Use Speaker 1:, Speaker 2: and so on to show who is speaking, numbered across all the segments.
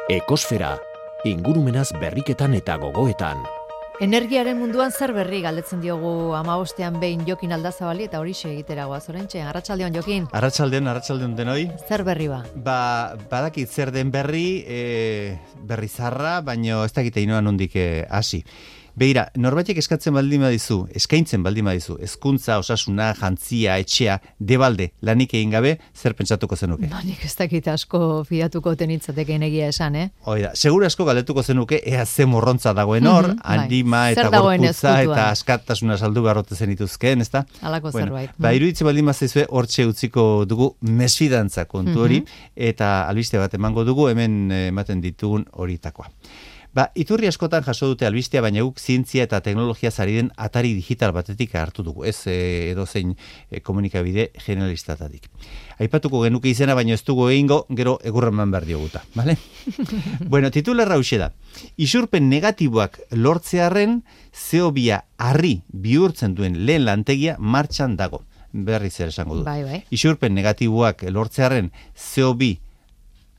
Speaker 1: Ekosfera, ingurumenaz berriketan eta gogoetan.
Speaker 2: Energiaren munduan zer berri galdetzen diogu 15ean behin Jokin Aldazabali eta horixe egitera goaz oraintxe. Arratsaldeon Jokin.
Speaker 3: Arratsaldeon denoi.
Speaker 2: Zer berri ba?
Speaker 3: Badakit zer den berri zarra, baino ez dakite inoa nondik hasi. Begira, norbaitek eskaintzen baldin badizu, hezkuntza, osasuna, jantzia, etxea, debalde, lanik egin gabe, zer pentsatuko zenuke?
Speaker 2: Nik ez dakit asko fidatuko tenitzateken egia esan,
Speaker 3: Oida, segura asko galdetuko zenuke, ea ze morrontza dagoen hor, anima eta gorputza eta askatasuna saldu beharrote zenituzkeen, ezta?
Speaker 2: Halako zerbait.
Speaker 3: Iruditzen baldin bazaizue, hortxe utziko dugu mesfidantza kontu hori, eta albiste bat emango dugu, hemen ematen ditugun horitakoa. Iturri askotan jaso dute albistea, baina guk zientzia eta teknologia zari den atari digital batetik hartu dugu, ez edozein komunikabide generalistatatik. Aipatuko genuke izena, baina ez dugu egingo, gero egurreman behar dioguta, bale? Bueno, titularra hauxe da. Isurpen negatiboak lortzearren, CO2 harri bihurtzen duen lehen lantegia martxan dago. Berri zer esango dut.
Speaker 2: Bai.
Speaker 3: Isurpen negatiboak lortzearren, CO2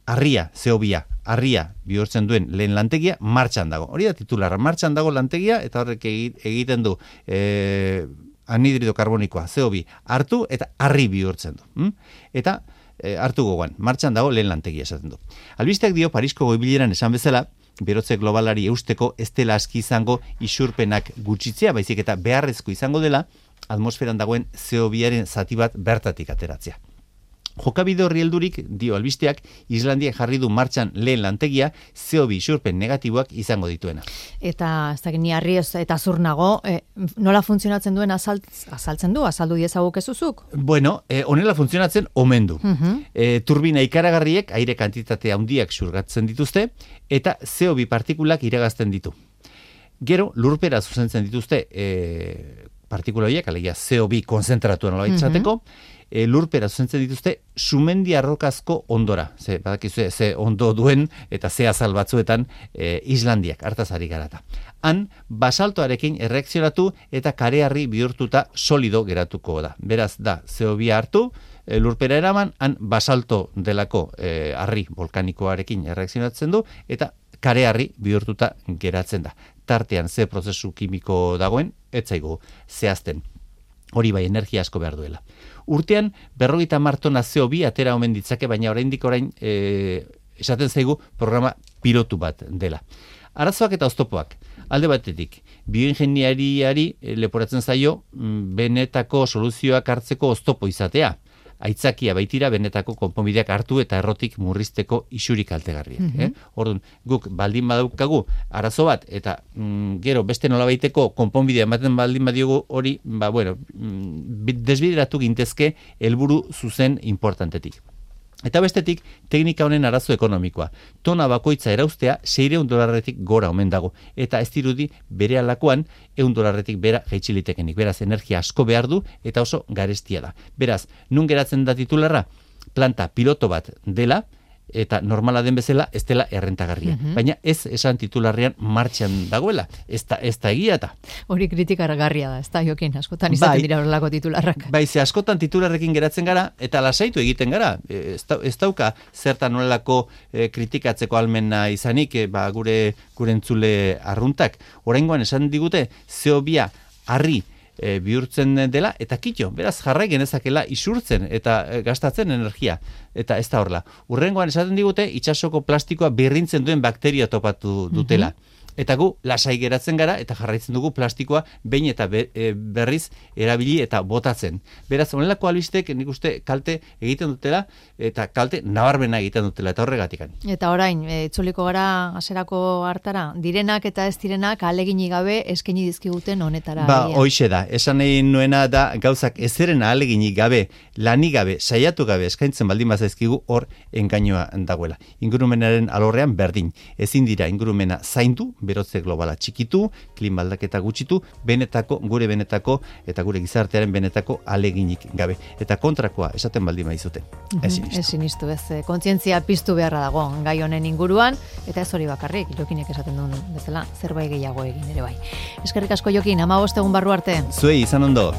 Speaker 3: harria bihurtzen duen lehen lantegia martxan dago. Hori da titularra, martxan dago lantegia, eta horrek egiten du anhidrido karbonikoa, CO2 hartu eta harri bihurtzen du. Eta hartu gogoan, martxan dago lehen lantegia esaten du. Albisteak dio Parisko goi-bileran esan bezala, berotze globalari eusteko ez dela aski izango isurpenak gutxitzea, baizik eta beharrezko izango dela atmosferan dagoen CO2-aren zati bat bertatik ateratzea. Jokabide horri heldurik, dio albisteak, Islandiak jarri du martxan lehen lantegia CO2 isurpen negatiboak izango dituena.
Speaker 2: Eta ez dakit ni harri eta zur nago, nola funtzionatzen duen azaldu diezaguke zuzuk?
Speaker 3: Bueno, honela funtzionatzen omen du. Turbina ikaragarriek aire kantitate handiak xurgatzen dituzte eta CO2 partikulak iragazten ditu. Gero, lurpera zuzentzen dituzte partikula horiek, alegia CO2 konzentratuan nola izateko, lurpera zuzentzen dituzte sumendi arrokazko ondora. Badakizue, ze ondo duen eta ze azal batzuetan Islandiak, hartaz ari garata. Han, basaltoarekin erreakzionatu eta kareharri bihurtuta solido geratuko da. Beraz, da, CO2 hartu, lurpera eraman, han basalto delako harri volkanikoarekin erreakzionatzen du, eta kareharri bihurtuta geratzen da. Tartean ze prozesu kimiko dagoen, ez zaigu zehazten. Hori bai, energia asko behar duela. Urtean, 50 tona CO2 atera omen ditzake, baina oraindik esaten zaigu programa pilotu bat dela. Arazoak eta oztopoak. Alde batetik, bioingeniariari leporatzen zaio benetako soluzioak hartzeko oztopo izatea. Aitzakia baitira benetako konponbideak hartu eta errotik murrizteko isurik kaltegarriak. Orduan, guk baldin badaukagu arazo bat eta gero beste nolabaiteko konponbidea ematen baldin badiogu hori, desbideratu gintezke helburu zuzen importantetik. Eta bestetik, teknika honen arazo ekonomikoa. Tona bakoitza erauztea $600 gora omen dago. Eta ez dirudi bere alakoan $100 bera jaitxilitekenik. Beraz, energia asko behar du eta oso garestia da. Beraz, nun geratzen da titularra? Planta piloto bat dela, eta normala den bezala ez dela errentagarria. Baina ez esan titularrean martxan dagoela. Ez da egia eta.
Speaker 2: Hori kritikargarria da, ez da Jokin, askotan izaten dira horrelako titularrak.
Speaker 3: Ze askotan titularrekin geratzen gara, eta lasaitu egiten gara. Ez dauka zertan nolako kritikatzeko almena izanik, gure entzule arruntak. Oraingoan esan digute, CO2 harri bihurtzen dela, eta kitxo, beraz jarrai genezakela isurtzen eta gastatzen energia, eta ez da horla. Urrengoan esaten digute, itsasoko plastikoa birrintzen duen bakteria topatu dutela. Eta gu lasai geratzen gara eta jarraitzen dugu plastikoa behin eta berriz erabili eta botatzen. Beraz, honelako albistek nik uste kalte egiten dutela eta kalte nabarmena egiten dutela eta horregatikan.
Speaker 2: Eta orain, itzuliko gara hasierako hartara, direnak eta ez direnak ahaleginik gabe eskaini dizkiguten honetara.
Speaker 3: Hoixe da, esan nahi nuena da gauzak ezeren ahaleginik gabe, lanik gabe, saiatu gabe eskaintzen baldin bazaizkigu hor engainoa dagoela. Ingurumenaren alorrean berdin. Ezin dira ingurumena zaindu, berotze globala txikitu, klima aldaketa gutxitu, gure benetako eta gure gizartearen benetako ahaleginik gabe. Eta kontrakoa esaten baldin baizute.
Speaker 2: Ezin iztu, kontzientzia piztu beharra dago gai honen inguruan, eta ez hori bakarrik, Jokinek esaten duen bezala, zerbait gehiago egin ere bai. Eskerrik asko Jokin, 15 egun barru arte.
Speaker 3: Zuei, izan ondo.